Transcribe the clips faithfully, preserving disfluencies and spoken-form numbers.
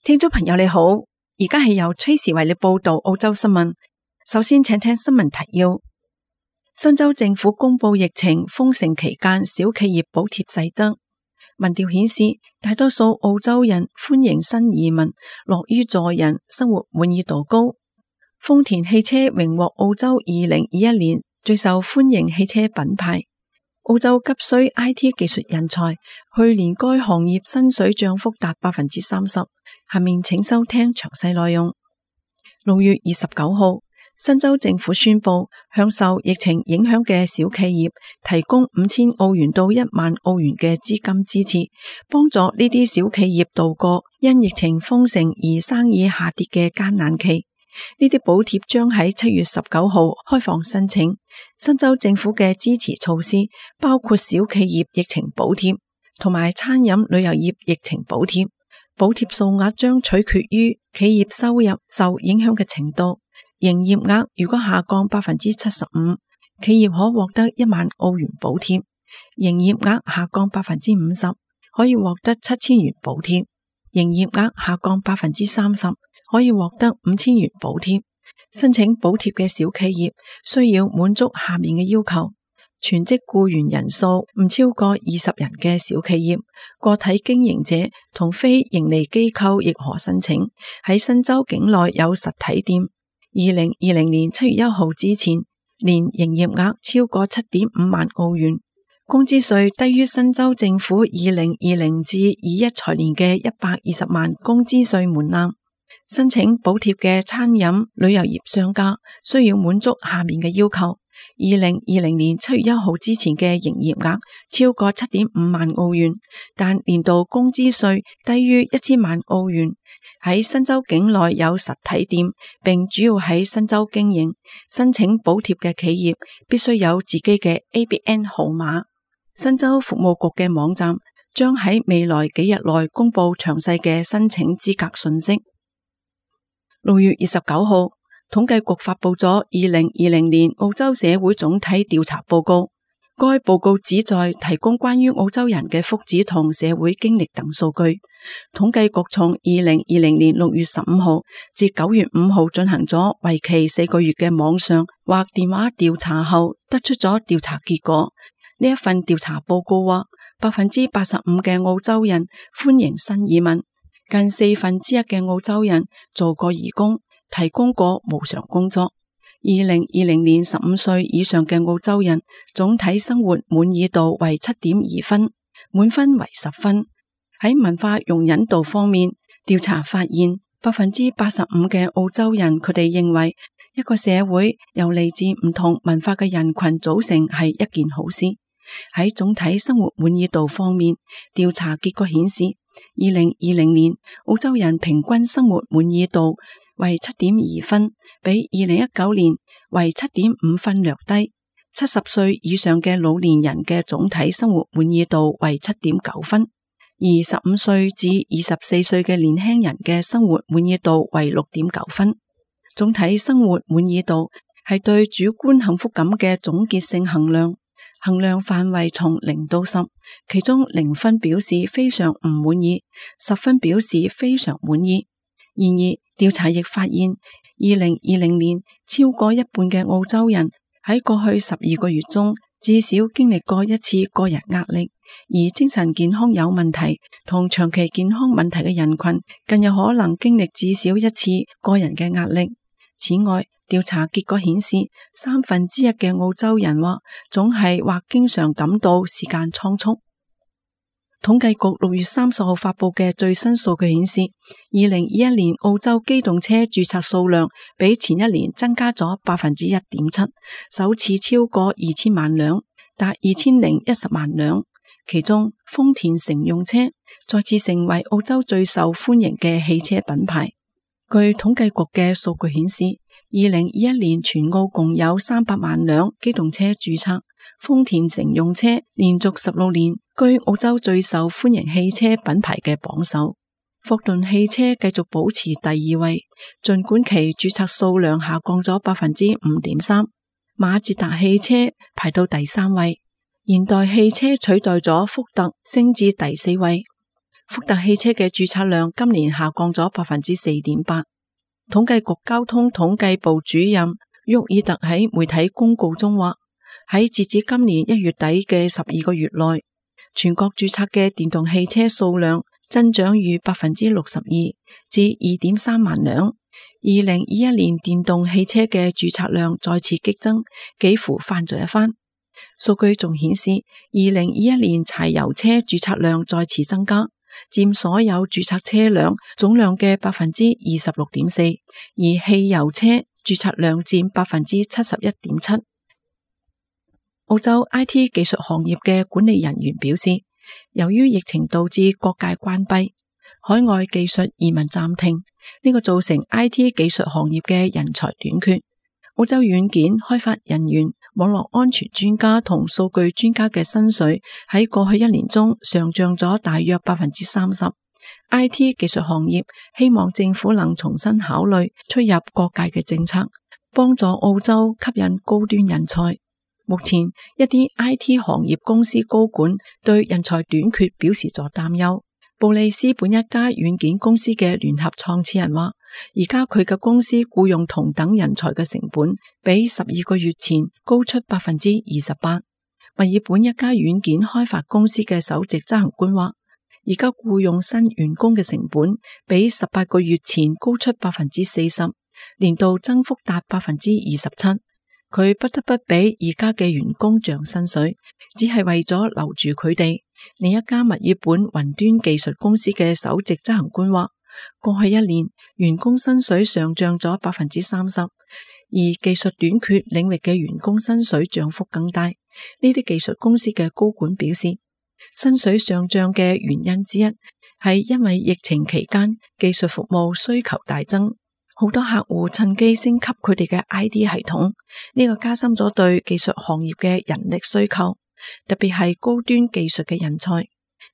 聽眾朋友你好，而家係由崔時為你報道澳洲新聞。首先請聽新聞提要。新州政府公布疫情封城期間小企業補貼細則。民調顯示，大多數澳洲人歡迎新移民，樂於助人，生活滿意度高。豐田汽車榮獲澳洲二零二一年最受歡迎汽車品牌。澳洲急需 I T 技術人才，去年該行業薪水漲幅達百分之三十。下面請收聽詳細內容。六月二十九號，新州政府宣布向受疫情影響嘅小企業提供五千澳元到一萬澳元嘅資金支持，幫助呢啲小企業度過因疫情封城而生意下跌嘅艱難期。呢啲補貼將喺七月十九號開放申請。新州政府嘅支持措施包括小企業疫情補貼同埋餐飲旅遊業疫情補貼。補貼數額將取決於企業收入受影響嘅程度。營業額如果下降百分之七十五，企業可獲得一萬澳元補貼；營業額下降百分之五十，可以獲得七千元補貼；營業額下降百分之三十，可以獲得五千元補貼。申請補貼嘅小企業需要滿足下面嘅要求：全職僱員人數唔超過二十人嘅小企業，個體經營者同非營利機構亦可申請。喺新州境內有實體店。二零二零年七月一號之前，年營業額超過七點五萬澳元，工資稅低於新州政府二零二零至二一財年嘅一百二十萬工資稅門檻。申請補貼嘅餐飲旅遊業商家需要滿足下面嘅要求：二零二零年七月一號之前嘅營業額超過七點五萬澳元，但年度工資稅低於一千萬澳元。喺新州境內有實體店，並主要喺新州經營。申請補貼嘅企業必須有自己嘅 A B N 號碼。新州服務局嘅網站將喺未來幾日內公布詳細嘅申請資格信息。六月二十九號，統計局發佈咗二零二零年澳洲社會總體調查報告。該報告旨在提供關於澳洲人嘅福祉同社會經歷等數據。統計局從二零二零年六月十五號至九月五號進行咗為期四個月嘅網上或電話調查後，得出咗調查結果。呢一份調查報告話，百分之八十五嘅澳洲人歡迎新移民，近四分之一嘅澳洲人做過義工，提供過無償工作。二零二零年十五歲以上嘅澳洲人總體生活滿意度為七點二分，滿分為十分。喺文化容忍度方面，調查發現百分之八十五嘅澳洲人佢哋認為一個社會由嚟自唔同文化嘅人群組成係一件好事。喺總體生活滿意度方面，調查結果顯示，二零二零年澳洲人平均生活滿意度為七點二分，比二零一九年為七點五分略低。七十歲以上嘅老年人嘅總體生活滿意度為七點九分，而十五歲至二十四歲嘅年輕人嘅生活滿意度為六點九分。總體生活滿意度係對主觀幸福感嘅總結性衡量，衡量範圍從零到十，其中零分表示非常唔滿意，十分表示非常滿意。然而，調查亦發現，二零二零年超過一半嘅澳洲人喺過去十二個月中至少經歷過一次個人壓力，而精神健康有問題同長期健康問題嘅人群更有可能經歷至少一次個人嘅壓力。此外，調查結果顯示，三分之一嘅澳洲人話總係或經常感到時間倉促。統計局六月三十號發佈嘅最新數據顯示，二零二一年澳洲機動車註冊數量比前一年增加咗百分之一點七，首次超過二千萬輛，達二千零一十萬輛。其中，豐田乘用車再次成為澳洲最受歡迎嘅汽車品牌。據統計局嘅數據顯示，二零二一年全澳共有三百萬輛機動車註冊，豐田乘用車連續十六年居澳洲最受歡迎汽車品牌嘅榜首。霍頓汽車繼續保持第二位，盡管其註冊數量下降咗百分之五點三。馬自達汽車排到第三位，現代汽車取代咗福特升至第四位。福特汽車嘅註冊量今年下降咗百分之四點八。統計局交通統計部主任沃爾特喺媒體公告中話，喺截至今年一月底嘅十二個月內，全國註冊嘅電動汽車數量增長逾百分之六十二，至二點三萬輛。二零二一年電動汽車嘅註冊量再次激增，幾乎翻咗一番。數據仲顯示，二零二一年柴油車註冊量再次增加，佔所有註冊車輛總量嘅百分之二十六點四，而汽油車註冊量佔百分之七十一點七。澳洲 I T 技術行業嘅管理人員表示，由於疫情導致各界關閉，海外技術移民暫停，呢個造成 I T 技術行業嘅人才短缺。澳洲軟件開發人員、網絡安全專家同數據專家嘅薪水喺過去一年中上漲咗大約百分之三十。I T 技術行業希望政府能重新考慮出入各界嘅政策，幫助澳洲吸引高端人才。目前一啲 I T 行業公司高管對人才短缺表示咗擔憂。布里斯本一家軟件公司嘅聯合創始人話，而家佢嘅公司僱用同等人才嘅成本比十二個月前高出百分之二十八。墨爾本一家軟件開發公司嘅首席執行官話，而家僱用新員工嘅成本比十八個月前高出百分之四十，年度增幅達百分之二十七。佢不得不俾而家嘅員工漲薪水，只係為咗留住佢哋。另一家墨爾本雲端技術公司嘅首席執行官話，過去一年員工薪水上漲咗百分之三十，而技術短缺領域嘅員工薪水漲幅更大。呢啲技術公司嘅高管表示，薪水上漲嘅原因之一係因為疫情期間技術服務需求大增，好多客戶趁機升級佢哋嘅 I D 系統，呢個加深咗對技術行業嘅人力需求，特別係高端技術嘅人才。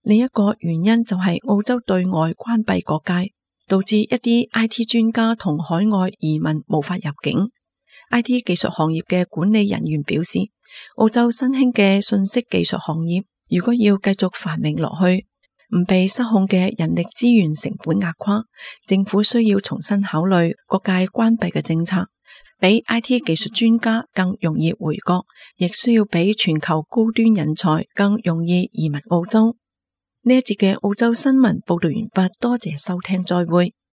另一個原因就係澳洲對外關閉國界，導致一啲 I T 專家同海外移民無法入境。I T 技術行業嘅管理人員表示，澳洲新興嘅信息技術行業如果要繼續繁榮落去，唔被失控嘅人力資源成本壓垮，政府需要重新考慮各界關閉嘅政策，俾 I T 技術專家更容易回國，亦需要俾全球高端人才更容易移民澳洲。呢一節嘅澳洲新聞報道完畢，多謝收聽，再會。